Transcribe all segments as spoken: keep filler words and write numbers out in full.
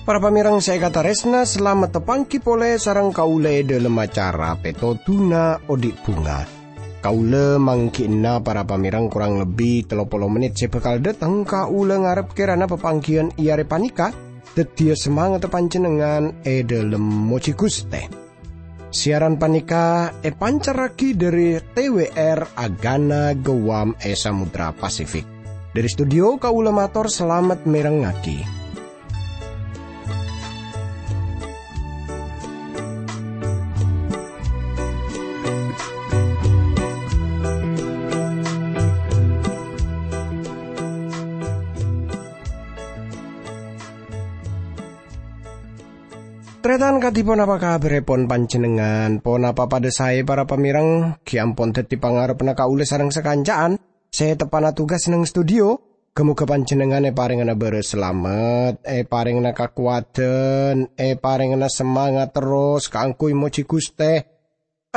Para pamèrèng sè èkatarèsna, salamet tapangghi polè sareng kaulâ è dhâlem acara Pètodhuna Odi' Bhunga. Kaulâ mangghi'na para pamèrèng korang lebbi tello polo mennit sè bhâkal dhâteng. Kaulâ ngarep kèrana papangghiyân è arè panèka dhâddhiyâ samangatta panjhennengngan è dhâlem mojhi Ghustè. Siaran panèka èpancarraghi dhâri T W R Agana Guam è Samudra Pasifik. Dhâri studio, kaulâ mator salamet mèrengngaghi. Tarètan, kadhi ponapa kabhârèpon panjhennengngan? Ponapa padâ saè, para pamèrèng? Ghi' ampon dhâddhi pangarebbhâ kaulâ sareng sakanca'an sè teppa'na tugas neng studio. Ghâ-moghâ panjhennengngan èparèngana bârâs salamet, èparèngana kakowadhân, èparèngana samangat terros kaangghuy mojhi Ghustè.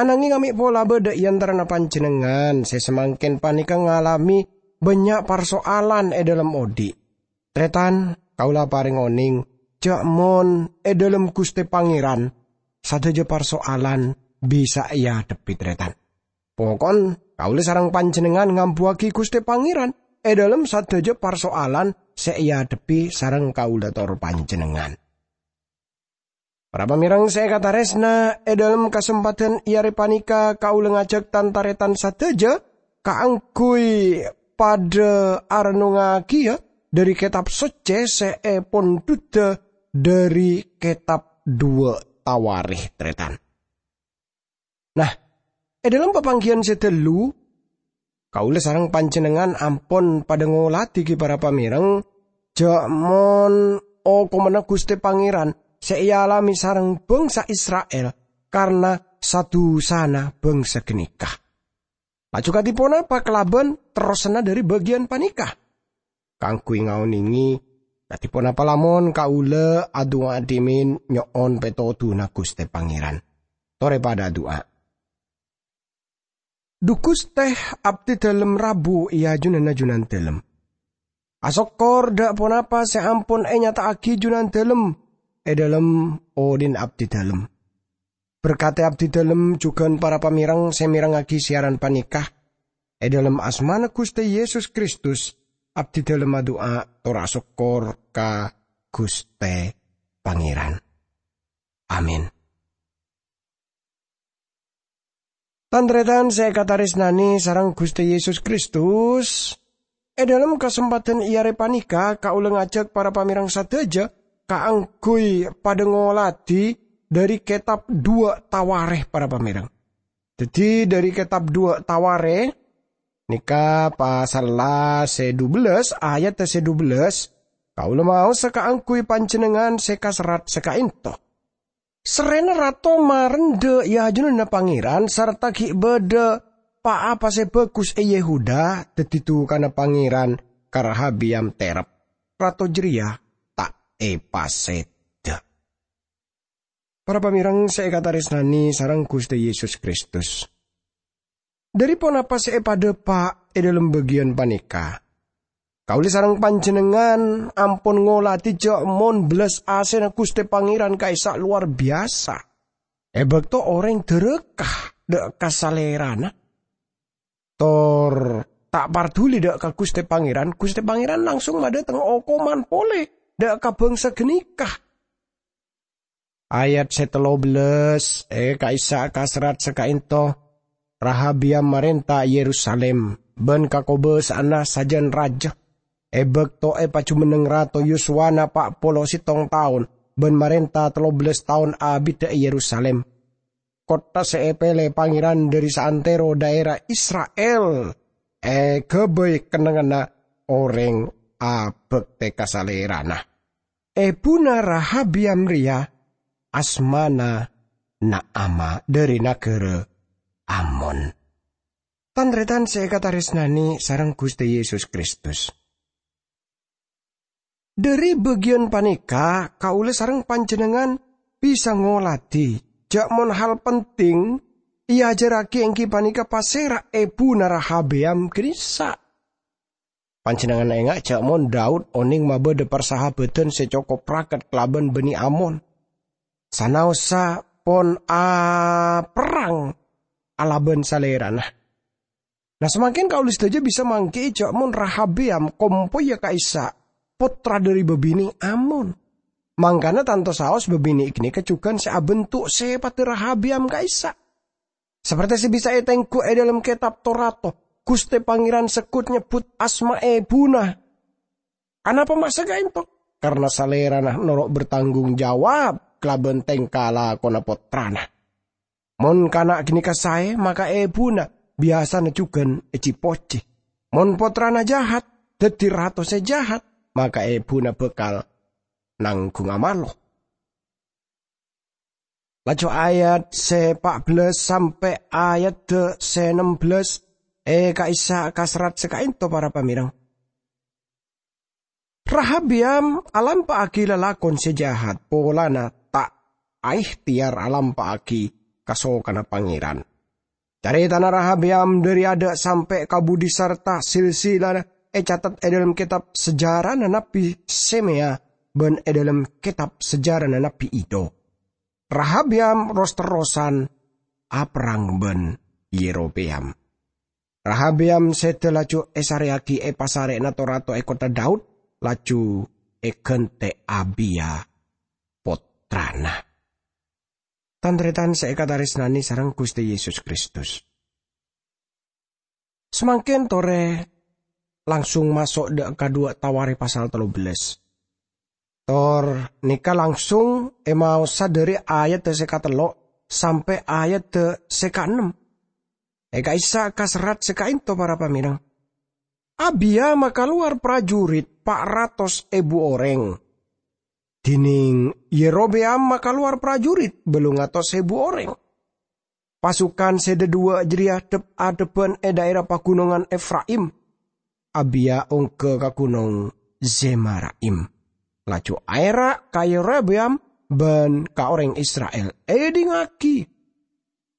Ananghing mè' pola bâdâ è antarana panjhennengngan sè samangkèn panèka ngalamè bânnya' parsoalan è dhâlem odi'. Tarètan, kaulâ aparèng onèng, jhâ' mon è dhâlem Ghustè Pangèran, sadhâjâ parsoalan bisa èadhebbhi, tarètan. Poko'en, kaulâ sareng panjhennengngan ngambuwâghi Ghustè Pangèran è dhâlem sadhâjâ parsoalan sè èadhebbhi sareng kaulâ tor panjhennengngan. Para pamèrèng sè èkatarèsna, è dhâlem kasempadhân è arè panèka kaulâ ngajhâk tan-tarètan sadhâjâ kaangghuy padâ arennongngaghiyâ dhâri Kètab Soccè sè èpondhudhâ dhâri Kètab Duwâ' Tawarèkh, tarètan. Nah, è dhâlem papangghiyân sè ghâllu, kaulâ sareng panjhennengngan ampon padâ ngoladhi ghi' para pamèrèng, jhâ' mon okomanna Ghustè Pangèran sè èalamè sareng bhângsa Isra'il karna sa-dusana bhângsa ghânèka. Laju kadhi ponapa kalabân terrossanna dhâri bâgiyân panèka? Kaangghuy ngaonèngè kadhi ponapa lamon kaulâ adu'a dhimèn nyo'on pètodhuna Ghustè Pangèran. Torè padâ adu'a. Dhu Ghustè, abdhi dhâlem rabu è ajunanna Junandhâlem. Asokkor dhâ' ponapa sè ampon ènyata'aghi Junandhâlem è dhâlem odhi'na abdhi dhâlem. Berkadhi abdhi dhâlem jhughân para pamèrèng sè mèrengngaghi siaran panèka. È dhâlem asmana Ghustè Yesus Kristus, abdhi dhâlem adu'a tor asokkor ka Ghustè Pangèran. Amin. Tan-tarètan sè èkatarèsnanè sareng Ghustè Yesus Kristus, è dhâlem kasempadhân è arè panèka kaulâ ngajhâk para pamèrèng sadhâjâ kaangghuy padâ ngoladhi dhâri Kètab Duwâ' Tawarèkh, para pamèrèng. Dhâddhi, dhâri Kètab Duwâ' Tawarèkh, nèka pasalla sè dubellâs, ayadhâ sè dubellâs, kaulâ maosa kaangghuy panjhennengngan sè kaserrat sè ka'ènto. Serrèna rato marendhâ è ajunanna Pangèran, sarta ghi' bâdâ pa-apa sè bhâghus è Yehuda, dhâddhi dhukana Pangèran ka Rehabiyam tèrep. Rato jârèya ta' èpasèdhâ. Para pamèrèng sè èkatarèsnanè sareng Ghustè Yesus Kristus. Dhâri ponapa sè èpadhâpa' è dhâlem bâgiyân panèka? Kaulâ sareng panjhennengngan ampon ngoladhi jhâ' mon bellas asèna Ghustè Pangèran ka'issa' lowar biyasa. È bâkto orèng dhârâka dhâ' ka salèrana, tor ta' parduli dhâ' ka Ghustè Pangèran, Ghustè Pangèran langsung madhâteng okoman polè dhâ' ka bhângsa ghânèka. Ayat sè tello bellâs, è ka'issa' kaserrat sè ka'ènto, Rahabiyam marènta è Yerusalim bân kakobâsa'anna sajân rajâ. È bâkto èpajumenneng Rato Yoswana pa' polo sèttong taon bân marènta tello bellâs taon abiddhâ è Yerusalim, kottha sè èpèlè Pangèran dhâri saantèro dhaèra Isra'il, èghâbây kennengnganna orèng abhâktè ka Salèrana. Èbhuna Rahabiyam rèya asmana Na'ama dhâri naghârâ Amon. Tan-tarètan sè èkatarèsnanè sareng Ghustè Yesus Kristus. Dhâri bâgiyân panèka, kaulâ sareng panjhennengngan bisa ngoladhi ja' mon hal penting eajarragi enggi paneka pasera ebuna Rahabeyam ganesa'. Panjennengngan enga' ja' mon Daud oneng mabadha parsahabadhan se cokop raket kalaban bani Amon, sanaossa pon aperrang alaban salerana. Nah, samangken kaula sadaja bisa manggi'i ja' mon Rahabeyam kompoya ka'issa' pottra dhari babine' Amon. Mangkana tanto saos babine' ganeka jugan se abentuk sepadda Rahabeyam ka'issa'. Saperte se bisa etenggu e dhalem Ketab Torato, Guste Pangeran seggut nyebbut asma ebuna. Anapa ma' sakaento? Karna salerana noro' bertanggung jawab kalaban tengka lakona pottrana. Mon kana' ganeka sae, maka ebuna biyasana jugan eji-poji. Mon pottrana jahat, daddi rato se jahat, maka ebuna bakal nanggunga malo. Laju ayat se pa' bellas sampe' ayadda se nem bellas e ka'issa' kaserrat se ka'ento, para pamereng. Rahabeyam alampa'agi lalakon se jahat polana ta' aehteyar alampa'agi kasokanna Pangeran. Caretana Rahabeyam dhari adha' sampe' ka budi sarta silsilana ecatet e dhalem ketab sejarana Nabbi Semea ban e dhalem ketab sejarana Nabbi Iddo. Rahabeyam ros-terrosan aperrang ban Yerobeyam. Rahabeyam seda laju esareyagi e pasare'na to-rato e kottha Daud, laju egante' Abiya, pottrana. Tan-taretan se ekataresnane sareng Guste Yesus Kristus. Samangken tore langsung maso' dha' ka dhuwa' Taware pasal tello bellas. Tor neka langsung emaosa dhari ayadda se katello' sampe' ayadda se kaennem. E ka'issa' kaserrat se ka'ento, para pamereng. Abiya makalowar prajurit pa' ratos ebu oreng. Dineng Yerobeyam makalowar prajurit bellung atos ebu oreng. Pasukan se dhadhuwa' jareya dhep-adhebban e dhaera pagunongan Efraim. Abiya ongga ka Gunong Zemarayim, laju aera' ka Yerobeyam ban ka oreng Isra'il, "Edhingngagi!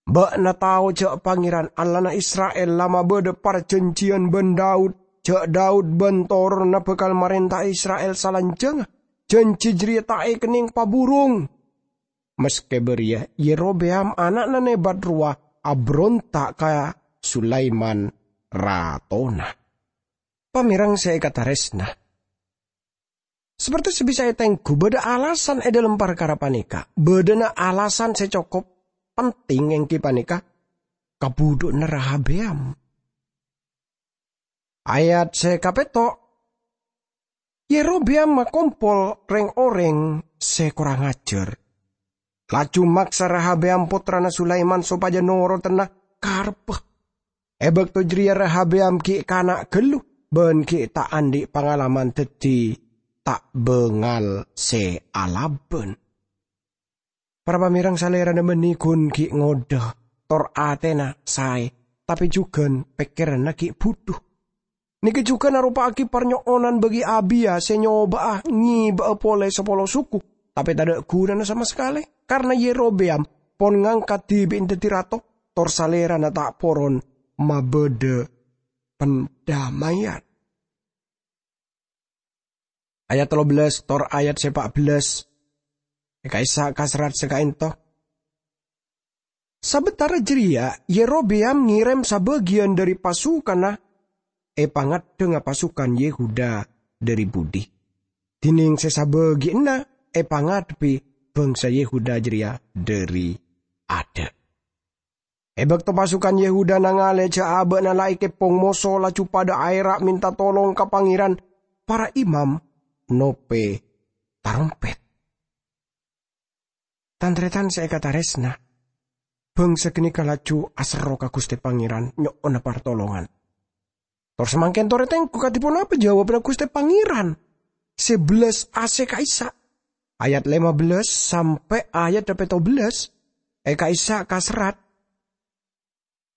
Ba'na tao ja' Pangeran, Allahna Isra'il, la mabadha parjanjiyan ban Daud, ja' Daud ban toronanna bakal marenta'a Isra'il salanjangnga. Janji jareya ta' ekenneng paburung." Maske bariya, Yerobeyam ana'na Nebat rowa abronta' ka Sulaiman ratona. Pamereng se ekataresna, saperte se bisa etenggu, badha alasan e dhalem parkara paneka. Badhana alasan se cokop penting, enggi paneka kabudhu'anna Rahabeyam. Ayat se kapetto', Yerobeyam makompol reng-oreng se korang ajar, laju maksa Rahabeyam pottrana Sulaiman sopaja norodanna karebbhâ. E bakto jareya Rahabeyam gi' kana' ghâllu ban gi' ta' andhi' pangalaman daddi ta' bangal se alabân. Para pamereng, salerana banne gun gi' ngodha, tor atena sae, tape jugan pekkeranna gi' budhu. Neke jugan aropa'agi parnyo'onan bagi Abiya se nyoba'a ngeba'a pole sapolo suku, tape tadha' gunana sama sakale, karna Yerobeyam pon ngangkat dibi'na daddi rato, tor salerana ta' poron mabadha pandamayan. Ayat tello bellas tor ayat se pa' bellas e ka'issa' kaserrat se ka'ento. Sabentara jareya Yerobeyam ngerem sabagiyan dhari pasukanna epangaddhanga pasukan Yehuda dhari budi, dineng se sabagiyanna epangadhebbi bangsa Yehuda jareya dhari adha'. E bakto pasukan Yehuda nangale ja' aba'na la ekepong moso, laju padha aera' menta tolong ka Pangeran, para imam nope tarompet. Tan-taretan se ekataresna, bangsa ganeka laju aserro ka Guste Pangeran nyo'ona partolongan. Tor samangken tore tenggu kadi ponapa jawabanna Guste Pangeran se bellas ase ka'issa'. Ayat lima bellas sampe' ayat petto bellas e ka'issa' kaserrat.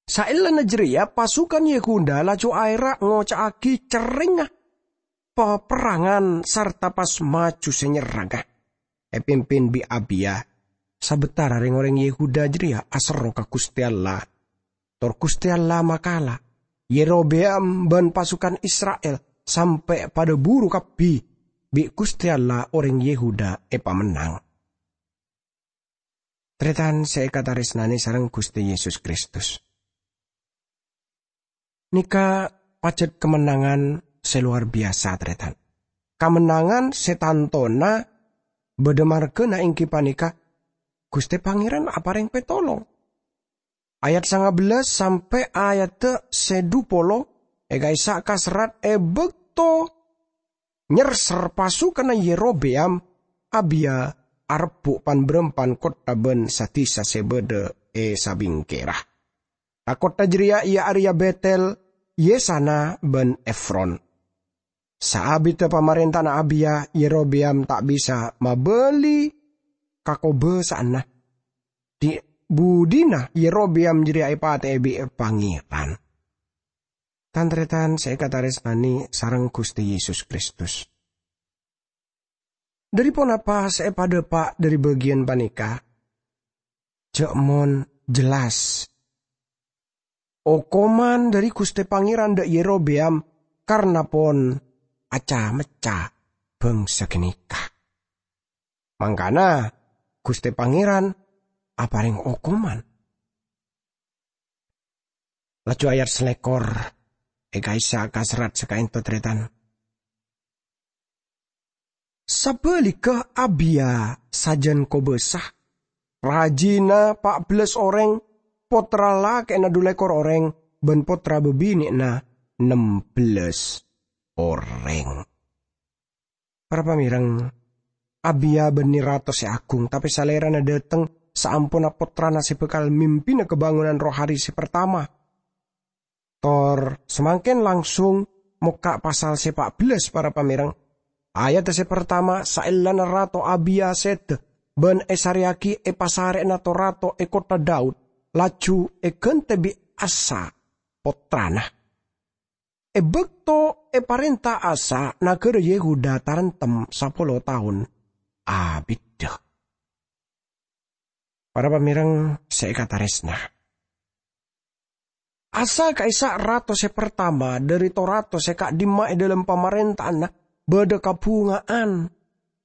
Saellana jareya pasukan Yehuda laju aera' ngoca'agi cerrengnga paperrangan sarta pas maju se nyerranga, epimpin bi' Abiya, sabetara reng-oreng Yehuda jareya aserro ka Guste Allah, tor Guste Allah makala Yerobeam ban pasukan Isra'il sampe' padha buru kabbi bi' Guste Allah oreng Yehuda epamennang. Taretan se ekataresnane sareng Guste Yesus Kristus. Neka pajat kamennangan se lowar biyasa, taretan. Kamennangan se tantona badha margana enggi paneka Guste Pangeran apareng petolong. Ayat sanga bellas sampe' ayadda se dhu polo eka'issa' kaserrat e bakto nyerser pasukanna Yerobeam, Abiya arebbu' pan-barampan kottha ban sa-disa se badha e sabingkera. Tha-kottha jareya iya areya Betel, Yesana, ban Efron. Saabidda pamarenta'anna Abiya, Yerobeam ta' bisa mabali kakobasa'anna. Dhi-budhina Yerobeam jareya epate'e bi' Pangeran. Tan-taretan se ekataresnane sareng Guste Yesus Kristus. Dhari ponapa se epadhapa' dhari bagiyan paneka? Ja' mon jellas. Okoman dhari Guste Pangeran dha' Yerobeam karna pon aca-mecca bangsa ganeka. Mangkana, Guste Pangeran apareng okoman. Laju ayat salekor, eka'issa' kaserrat sakaento, taretan. Sabaligga Abiya sajan kobasa, rajina pa' bellas oreng, pottra lake'na dhu lekor oreng, ban pottra babine'na nem bellas oreng. Para pamereng, Abiya banne rato se agung, tape salerana dhateng saamponna pottrana se bakal mimpina kabangonan rohani se partama. Tor samangken langsung mokka' pasal se pa' bellas, para pamereng. Ayadda se partama, saellana Rato Abiya seda ban esareyagi e pasare'na to-rato e kottha Daud, laju egante bi' Asa, pottrana. E bakto eparenta Asa, nagara Yehuda tarentem sapolo taon abidda. Para pamereng se ekataresna, Asa ka'issa' rato se partama dhari to-rato se ka'dimma e dhalem pamarenta'anna badha kabhunga'an,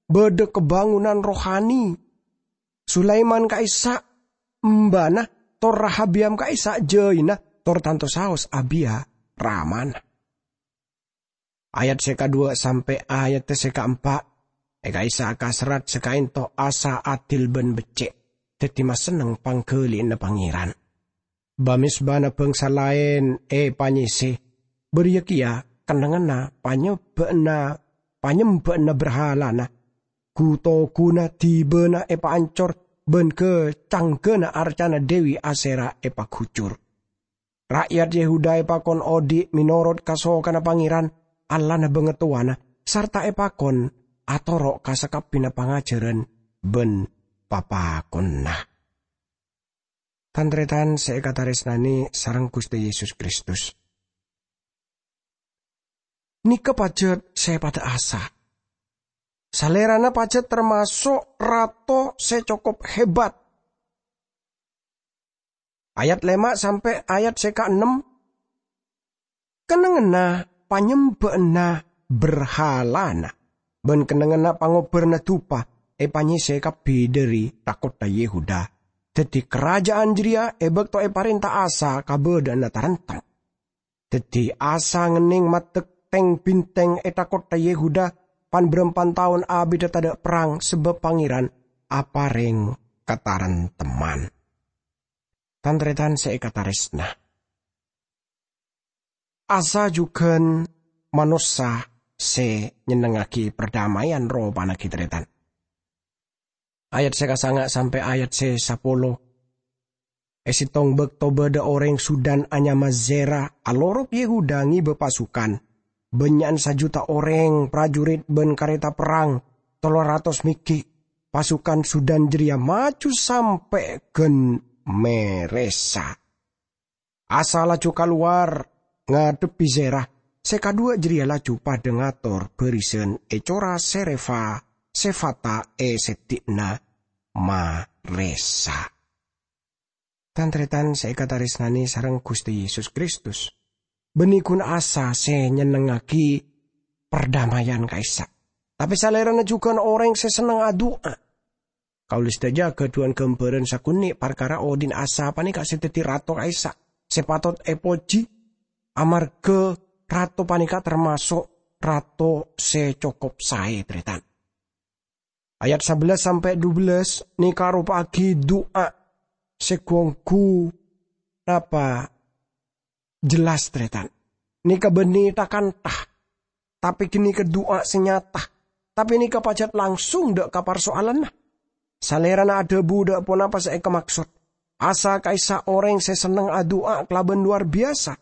badha kabangonan rohani. Sulaiman ka'issa' embana, tor Rahabiyam ka'issa' jaina, tor tanto saos Abiya ramana. Ayat se kadhuwa' sampe' ayat se kaempa', eka'issa' kaserrat sakaento Asa adil ban becce', daddi masenneng panggaliyanna Pangeran. Ba-mezbana bangsa laen epanyese, bariya keya kennengnganna panyebba'na, panyemba'anna berhalana. Gu-toguna dibana epaancor, ban ga-, canggana arcana Dewi Asera epagujur. Ra'yat Yehuda epakon odhi' menorot kasokanna Pangeran, Allahna bangatowana, sarta epakon atoro' ka sakabbhina pangajaran ban papakonna. Tan-taretan se ekataresnane sareng Guste Yesus Kristus. Neka pajat se padha Asa. Salerana pajat tamaso' rato se cokop hebat. Ayat lema' sampe' ayat se kaennem, kennengnganna panyemba'anna berhalana ban kennengnganna pangobbarna dupa epanyese kabbi dhari tha-kottha Yehuda. Daddi, karaja'an jareya e bakto eparenta Asa kabadha'anna taremtem. Daddi, Asa ngenneng maddek teng-binteng e tha-kottha Yehuda, pan-barampan taon abidda tadha' perrang, sabab Pangeran apareng katarentemman. Tan-taretan se ekataresna, Asa jugan manossa se nyennengngagi perdamaian ropana gi' taretan. Ayat se kasanga' sampe' ayat se sapolo. E settong bakto badha oreng Sudan anyama Zera alorop Yehuda ngeba pasukan. Bannya'an sajuta oreng, prajurit ban kareta perrang, tello ratos meggi'. Pasukan Sudan jareya maju sampe' gan Meresa. Asa laju kalowar ngadhebbi Zera, se kadhuwa jareya laju padha ngator barisan e cora Serefa, Sefata e seddi'na marèsa. Tan-tarètan sè èkatarèsnanè sareng Ghustè Yesus Kristus, bânnè ghun Asa sè nyennengngaghi pardamaian ka'issa'. Tapè salèrana jhughân orèng sè senneng adu'a. Kaulâ sadhâjâ ghâdhuwân ghâmbhârân sakonè' parkara odhi'na Asa panèka sè dhâddhi rato ka'issa', sè patot èpojhi, amarghâ rato panèka tamaso' rato sè cokop saè, tarètan. Ayat sabellâs sampè' dubellâs nèka aropa'aghi du'a sè ghu-ongghu napa jelas, tarètan. Nèka bânnè tha-kantha, tapè ghânèka du'a sè nyata, tapè nèka pajhât langsung dâ' ka parsoalanna. Salèrana adhâbu dâ' ponapa sè èkamaksod. Asa ka'issa' orèng sè senneng adu'a kalabân lowar biyasa.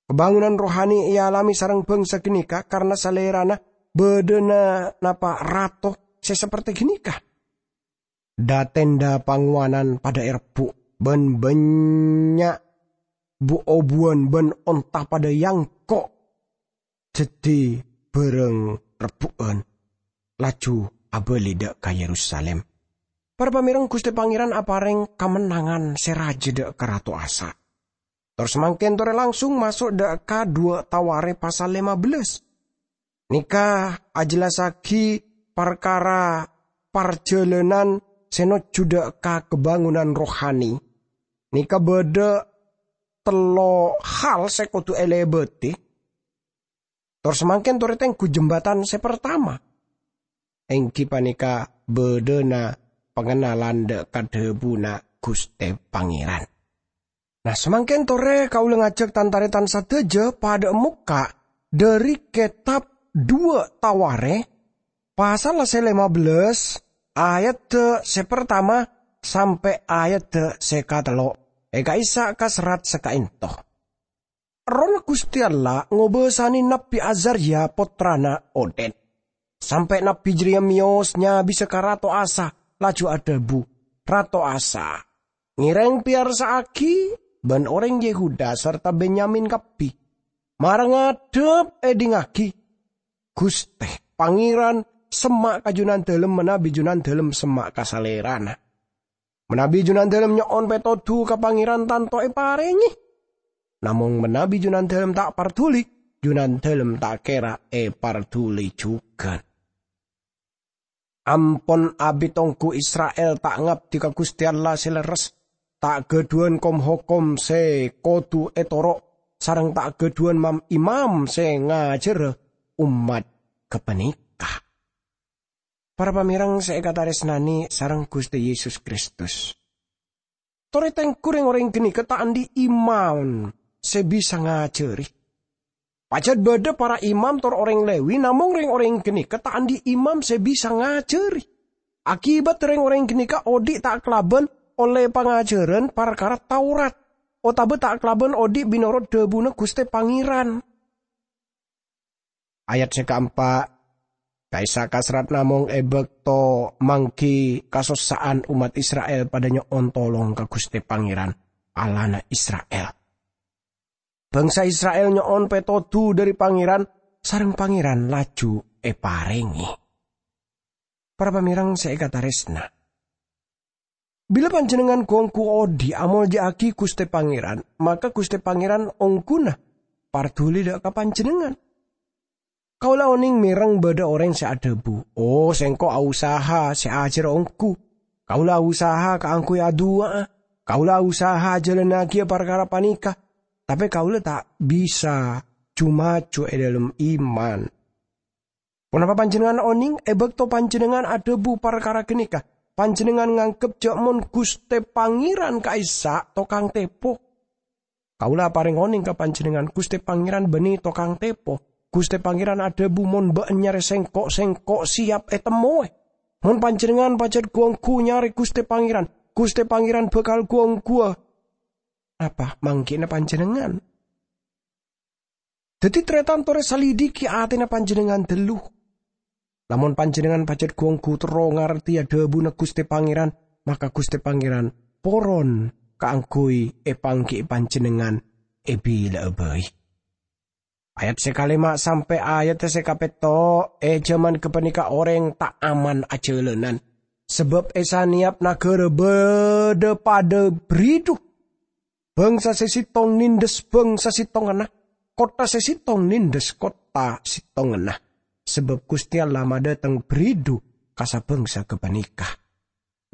Kabângonan rohani èalamè sareng bhângsa ghânèka karna salèrana bâdâna napa rato sè saperti ghânèka. Dha-tendha pangowanan padâ èrebbu', bân bânnya' bu-obuwân bân onta padâ èangko' dhâddhi bhârâng rebbu'ân, laju abâli dâ' ka Yerusalim. Para pamèreng, Ghustè Pangèran aparèng kamennangan sè rajâ dâ' ka Rato Asa. Tor samangkèn torè langsung maso' dâ' ka duwâ' Tawarè pasal lèma bellâs. Nèka ajellassaghi parkara parjhâlânan sè nojjhu dâ' ka kabângonan rohani. Nèka bâdâ tello' hal sè kodhu èlèbâdhi. Tor samangkèn torè tengghu jembatan sè partama, èngghi panèka bâdâna pangennalan dâ' ka dhâbuna Ghustè Pangèran. Nah, samangkèn torè kaulâ ngajhâk tan-tarètan sadhâjâ padâ'â mokka' dhâri kètab duwâ' Tawarè, pasal sè lèma bellâs, ayadda sè partama sampè' ayadda sè katello', è ka'issa' ka serrat sè ka'ènto. Errohna Ghustè Allah ngobâsanè Nabbhi Azarya pottrana Oded. Sampè' nabbhi jârèya mèyos nyabisa ka Rato Asa, laju adhâbu, "Rato Asa, ngèrèng pèyarsa'aghi bân orèng Yehuda sarta Benyamin kabbhi. Mara ngadhep èdingngaghi! Ghustè Pangèran semma' ka Junandâlem manabi Junandâlem semma' ka salèrana. Manabi Junandâlem nyo'on pètodhu ka Pangèran tanto èparèngè. Namong manabi Junandâlem ta' parduli, Junandâlem ta' kèra èparduli jhughân." Ampon abit ongghu Isra'il ta' ngabdi ka Ghustè Allah sè lerres, ta' ghâdhuwân kom-hokom sè kodhu ètoro', sareng ta' ghâdhuwân mam-imam sè ngajhârâ ommat ghâpanèka. Para pamèreng sè èkatarèsnanè sareng Ghustè Yesus Kristus. Torè tengghu rèng-orèng ghânèka ta' andi' imam sè bisa ngajhâri. Pajhât bâdâ para imam tor orèng Lewi, namong rèng-orèng ghânèka ta' andi' imam sè bisa ngajhâri. Akibat rèng-orèng ghânèka odhi' ta' kalabân ollè pangajhârân parkara Taurat, otabâ ta' kalabân odhi' mènorot dhâbuna Ghustè Pangèran. Ayat sè kaempa', ka'issa' ka serrat namong è bâkto mangghi kasossa'an ommat Isra'il padâ nyo'on tolong ka Ghustè Pangèran, Allahna Isra'il. Bhângsa Isra'il nyo'on pètodhu dhâri Pangèran, sareng Pangèran laju èparèngè. Para pamèreng sè èkatarèsna, bilâ panjhennengngan ghu-ongghu odhi' amolja'aghi Ghustè Pangèran, maka Ghustè Pangèran ongghuna parduli dâ' ka panjhennengngan. Kaulâ onèng mèreng bâdâ orèng sè adhâbu, "Oh, sèngko' ausaha sè ajhâr ongghu. Kaulâ ausaha kaangghuy adu'a. Kaulâ ausaha ajhâlânnaghi parkara panèka. Tapè kaulâ ta' bisa ju-maju è dhâlem iman." Ponapa panjhennengngan onèng è bâkto panjhennengngan adhâbu parkara ghânèka? Panjhennengngan nganggep jâ' mon Ghustè Pangèran ka'issa' tokang tèpo. Kaulâ aparèng onèng ka panjhennengngan, Ghustè Pangèran bânnè tokang tèpo. Ghustè Pangèran adhâbu, "Mon bâ'na nyarè sèngko', sèngko' sèyap ètemmowè. Mon panjhennengngan pajhât ghu-ongghu nyarè Ghustè Pangèran, Ghustè Pangèran bhâkal ghu-ongghuwâ." Napa mangghi'na panjhennengngan? Dhâddhi, tarètan torè salidiki atèna panjhennengngan ghâllu. Lamon panjhennengngan pajhât ghu-ongghu terro ngartèya dhâbuna Ghustè Pangèran, maka Ghustè Pangèran poron kaangghuy èpangghi'i panjhennengngan è bilâ'â bhâi. Ayat sè kalèma' sampè' ayat sè kapètto', è jhâman ghâpanèka orèng ta' aman ajhâlânan, Sabâb è sanèyap naghârâ bâdâ padâ bridhu. Bângsa sè sèttong nèndhâs bângsa sèttonganna, kottha sè sèttong nèndhâs kottha sèttonganna. Sabâb Ghustè Allah madâteng bridhu ka sabângsa ghâpanèka.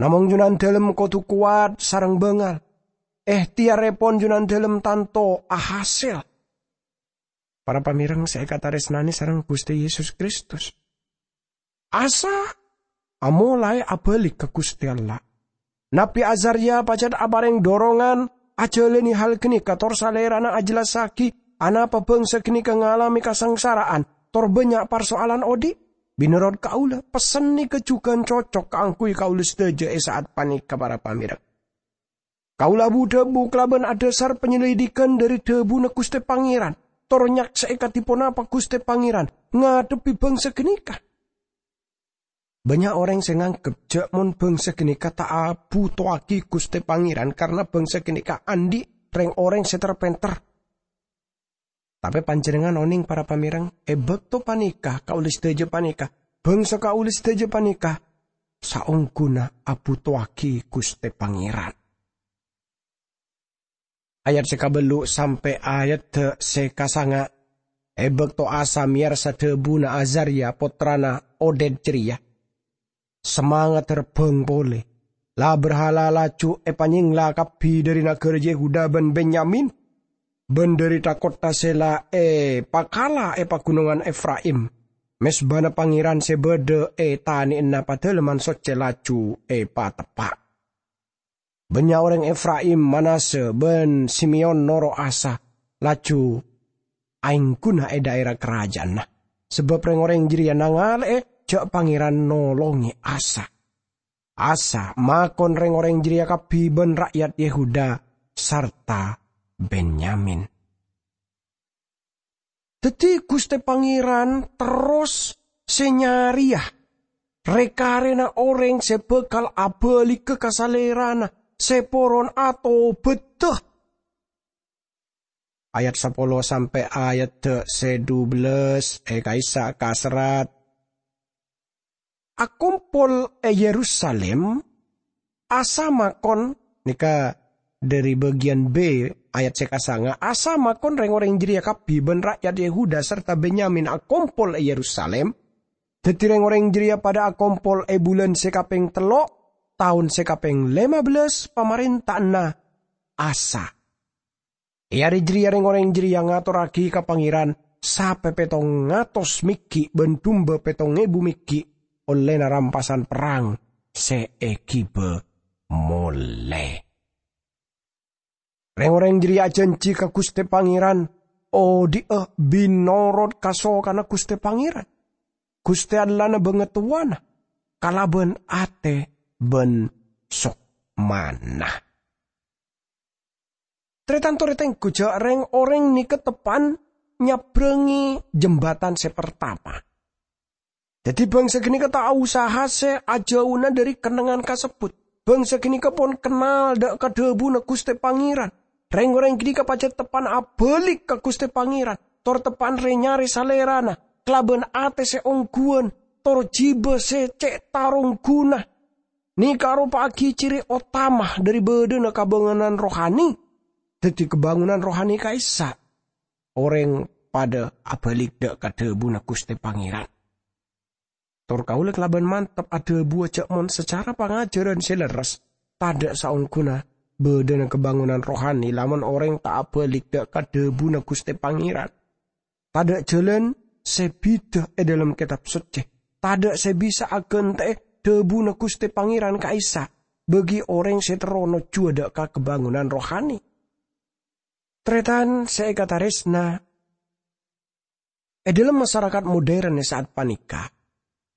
Namong Jhunandhâlem kodhu kowat sareng bângal. Èhtèyarrèpon Jhunandhâlem tanto ahasèl. Para pamèreng sè èkatarèsnanè sareng Ghustè Yesus Kristus. Asa amolaè abâli ka Ghustè Allah. Nabbhi Azarya pajhât aparèng dhorongan ajhâlânè hal ghânèka, tor salèrana ajhellassaghi anapa bângsa ghânèka ngalamè kasangsara'an, tor bânnya' parso'alan odi'. Mènorot kaulâ, pessen nèka jhughân cocok kaangghuy kaulâ sadhâjâ è sa'at panèka, para pamèreng. Kaulâ abu-dhâbu kalabân adhâsar panyalidhighân dhâri dhâbuna Ghustè Pangèran, tor nyaksè'è kadhi ponapa Ghustè Pangèran ngadhebbhi bângsa ghânèka. Bânnya' orèng sè nganggep jhâ' mon bângsa ghânèka ta' abhutowaghi Ghustè Pangèran karana bângsa ghânèka andi' rèng-orèng sè ter-pènter. Tapè panjhennengngan onèng, para pamèreng, è bâkto panèka kaulâ sadhâjâ panèka, bângsa kaulâ sadhâjâ panèka saongghuna abhutowaghi Ghustè Pangèran. Ayat sè kabâllu' sampè' ayadda sè kasanga'. È bâkto Asa mèyarsa dhâbuna Azarya, pottrana Oded jârèya, samangadda rebbhâng polè. La-bârhala laju èpanyèngla kabbhi dhâri naghârâ Yehuda bân Benyamin, bân dhâri tha-kottha sè la èpakala è paghunongan Efraim. Mezbana Pangèran sè bâdâ è tanè'anna Padâlemman Soccè laju èpateppa'. Bânnya' orèng Efraim, Manasya, bân Simeyon noro' Asa, laju aèngghuna è dhaèra karajâ'ânna, sabâb rèng-orèng jârèya nangalè'è jhâ' Pangèran nolongè Asa. Asa makon rèng-orèng jârèya kabbhi bân ra'yat Yehuda sarta Benyamin. Dhâddhi, Ghustè Pangèran terros sè nyarèya rè-karèna orèng sè bhâkal abâligghâ ka Salèrana sè poron atobhâddhâ. Ayat sapolo sampè' ayadda sè dubellâs è ka'issa' kaserrat. Akompol è Yerusalim, Asa makon, nèka dhâri bâgiyân B, ayat sè kasanga, Asa makon rèng-orèng jârèya kabbhi bân ra'yat Yehuda sarta Benyamin akompol è Yerusalim. Dhâddhi rèng-orèng jârèya padâ akompol è bulân sè kapèng tello', taon sè kapèng lèma bellâs pamarènta'anna Asa. È arè jârèya rèng-orèng jârèya ngatorraghi ka Pangèran sapè pètto ngatos mèghi' bân dumba pètto èbu mèghi' ollèna rampasan perrang sè èghibâ molè. Rèng-orèng jârèya ajhânjhi ka Ghustè Pangèran odi'â mènorot kasokanna Ghustè Pangèran, Ghustè Allahna bângatowana, kalabân atè bân sokmana. Tarètan-tarètan, ghu jhâ' rèng-orèng nèka teppa'an nyabrângè jembatan sè partama. Dhâddhi, bângsa ghânèka ta' osa hasè ajhâuna dhâri kennengngan kasebbhut. Bângsa ghânèka pon kennal dâ' ka dhâbuna Ghustè Pangèran. Rèng-orèng ghânèka pajhât teppa'an abâli ka Ghustè Pangèran, tor teppa'an rè-nyarè Salèrana kalabân atè sè ongghuwân, tor jhibâ sè cè' tarongghuna. Nèka aropa'aghi ciri otama dhâri bâdâna kabânganan rohani. Dhâddhi, kabânganan rohani ka'issa', orèng padâ abâli dâ' ka dhâbuna Ghustè Pangèran. Tor kaulâ kalabân mantep adhâbuwâ jhâ' mon sacara pangajhârân sè lerres, tadâ' saongghuna bâdâna kabânganan rohani lamon orèng ta' abâli dâ' ka dhâbuna Ghustè Pangèran. Tadâ' jhâlân sè bhidhâ è dhâlem Kètab Soccè. Tadâ' sè bisa aghântè'è dhâbuna Ghustè Pangèran ka'issa' bagi orèng sè terro nojjhuwâ dâ' ka kabânganan rohani. Tarètan sè èkatarèsna, è dhâlem masarakat modern è sa'at panèka,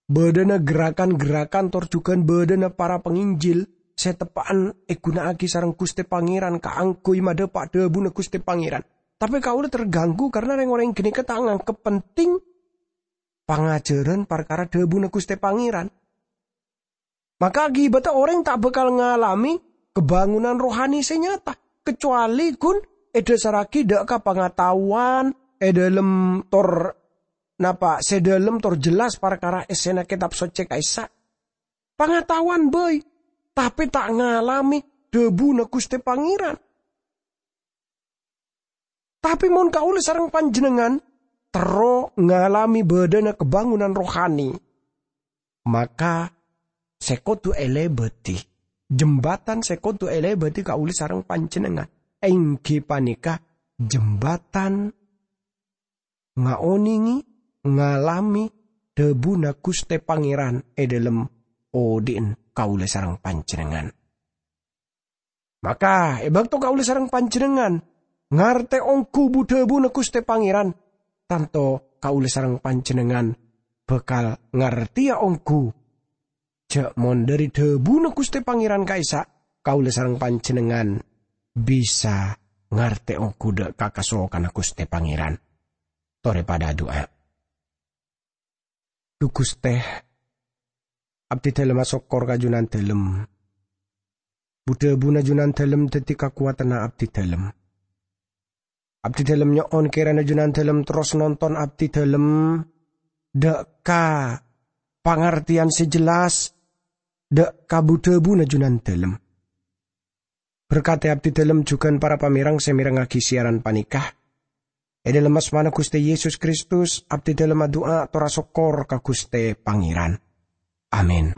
bâdâna gerakan-gerakan tor jhughân bâdâna para panginjil sè teppa'an èghuna'aghi sareng Ghustè Pangèran kaangghuy madhâpa' dhâbuna Ghustè Pangèran. Tapè kaulâ terganggu karna rèng-orèng ghânèka ta' nganggep penting pangajhârân parkara dhâbuna Ghustè Pangèran. Maka akibatta orèng ta' bhâkal ngalamè kabânganan rohani sè nyata, kacowalè ghun èdhâsarraghi dâ' ka pangataowan è dhâlem tor napa sè dhâlem tor jelas parkara èssèna Kètab Soccè ka'issa'. Pangataowan bhâi, tapè ta' ngalamè dhâbuna Ghustè Pangèran. Tapè mon kaulâ sareng panjhennengngan terro ngalamè bâdâna kabângonanna rohani, maka sè kodhu èlèbâdhi, jembatan sè kodhu èlèbâdhi kaulâ sareng panjhennengngan, èngghi panèka jembatan ngaonèngè, ngalamè dhâbuna Ghustè Pangèran è dhâlem odi'na kaulâ sareng panjhennengngan. Maka, è bâkto kaulâ sareng panjhennengngan ngartè ongghu bu-dhâbuna Ghustè Pangèran, tanto kaulâ sareng panjhennengngan bhâkal ngartèya ongghu jhâ' mon dhâri dhâbuna Ghustè Pangèran ka'issa', kaulâ sareng panjhennengngan bisa ngartè ongghu dhâ' ka kasokanna Ghustè Pangèran. Torè padâ adu'a. Dhu Ghustè, abdhidhâlem asokkor ka Jhunandhâlem. Bu-dhâbuna Jhunandhâlem dhâddhi kakowadhânna abdhidhâlem. Abdhidhâlem nyo'on kèrana Jhunandhâlem terros nonton abdhidhâlem dhâ' ka pangartèyan sè jelas dhâ' ka bu-dhâbuna Jhunandhâlem. Berkadhi abdhidhâlem jhughân para pamèreng sè mèrengngaghi siyaran panèka. È dhâlem asmana Ghustè Yesus Kristus, abdhidhâlem adu'a tor asokkor ka Ghustè Pangèran. Amin.